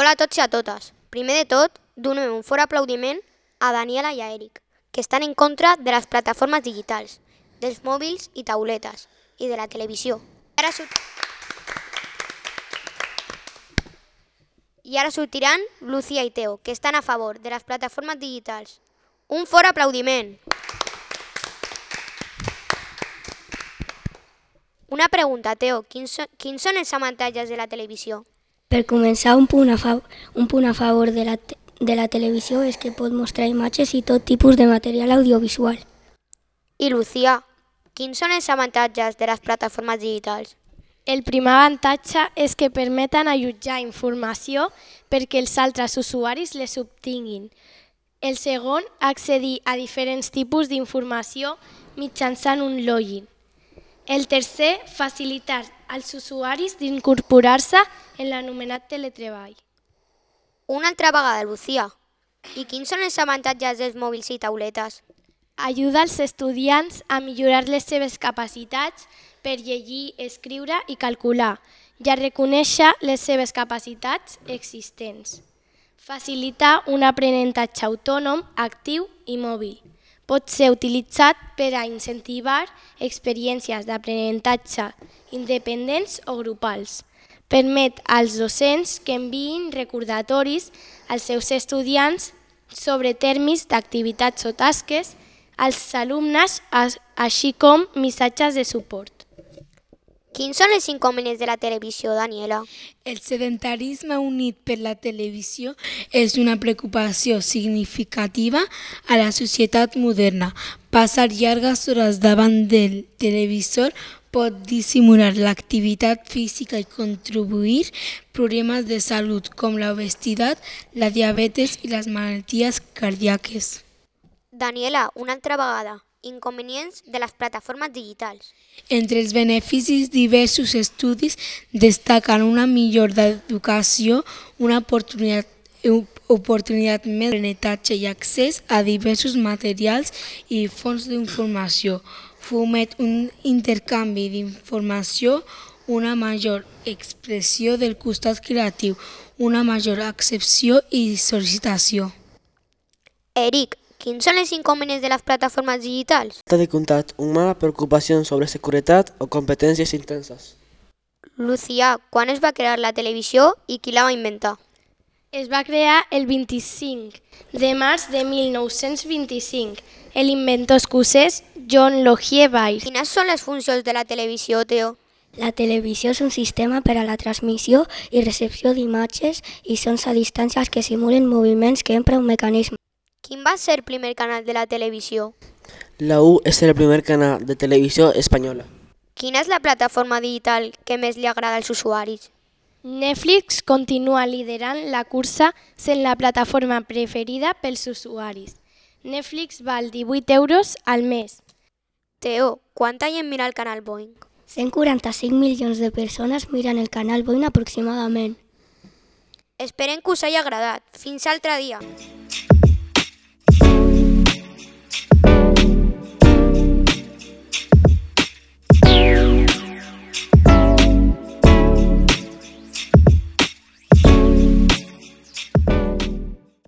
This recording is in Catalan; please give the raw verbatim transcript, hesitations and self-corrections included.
Hola a tots i a totes. Primer de tot, donem un fort aplaudiment a Daniela i a Eric, que estan en contra de les plataformes digitals, dels mòbils i tauletes, i de la televisió. I ara, sort... I ara sortiran Lucía i Teo, que estan a favor de les plataformes digitals. Un fort aplaudiment! Una pregunta, Teo. Quins són, quins són els avantatges de la televisió? Per començar, un punt a, fa un punt a favor de la, te de la televisió és que pot mostrar imatges i tot tipus de material audiovisual. I Lucía, quins són els avantatges de les plataformes digitals? El primer avantatge és que permeten allotjar informació perquè els altres usuaris les obtinguin. El segon, accedir a diferents tipus d'informació mitjançant un login. El tercer, facilitar als usuaris d'incorporar-se en l'anomenat teletreball. Una altra vegada, Lucía. I quins són els avantatges dels mòbils i tauletes? Ajuda als estudiants a millorar les seves capacitats per llegir, escriure i calcular i a reconèixer les seves capacitats existents. Facilita un aprenentatge autònom, actiu i mòbil. Pot ser utilitzat per a incentivar experiències d'aprenentatge independents o grupals. Permet als docents que enviïn recordatoris als seus estudiants sobre termes d'activitats o tasques als alumnes, així com missatges de suport. Quins són els inconvenients de la televisió, Daniela? El sedentarisme unit per la televisió és una preocupació significativa a la societat moderna. Passar llargues hores davant del televisor pot dissimular l'activitat física i contribuir problemes de salut com l'obesitat, la diabetes i les malalties cardíaques. Daniela, una altra vegada. Inconvenients de les plataformes digitals. Entre els beneficis, diversos estudis destaquen una millora d'educació, una oportunitat, oportunitat més d'aprenentatge i accés a diversos materials i fonts d'informació. Foment un intercanvi d'informació, una major expressió del costat creatiu, una major accepció i sol·licitació. Eric, quins són els inconvenients de les plataformes digitals? Falta de contacte humà, preocupacions sobre seguretat o competències intenses. Lucía, quan es va crear la televisió i qui la va inventar? Es va crear el vint-i-cinc de març de mil nou-cents vint-i-cinc. L'inventor escocès John Logie Baird. Quines són les funcions de la televisió, Teo? La televisió és un sistema per a la transmissió i recepció d'imatges i sons a distàncies que simulen moviments que empra un mecanisme. Quin va ser el primer canal de la televisió? La U és el primer canal de televisió espanyola. Quina és la plataforma digital que més li agrada als usuaris? Netflix continua liderant la cursa sent la plataforma preferida pels usuaris. Netflix val divuit euros al mes. Teo, quanta gent mira el canal Boing? cent quaranta-cinc milions de persones miren el canal Boing aproximadament. Esperem que us hagi agradat. Fins altre dia.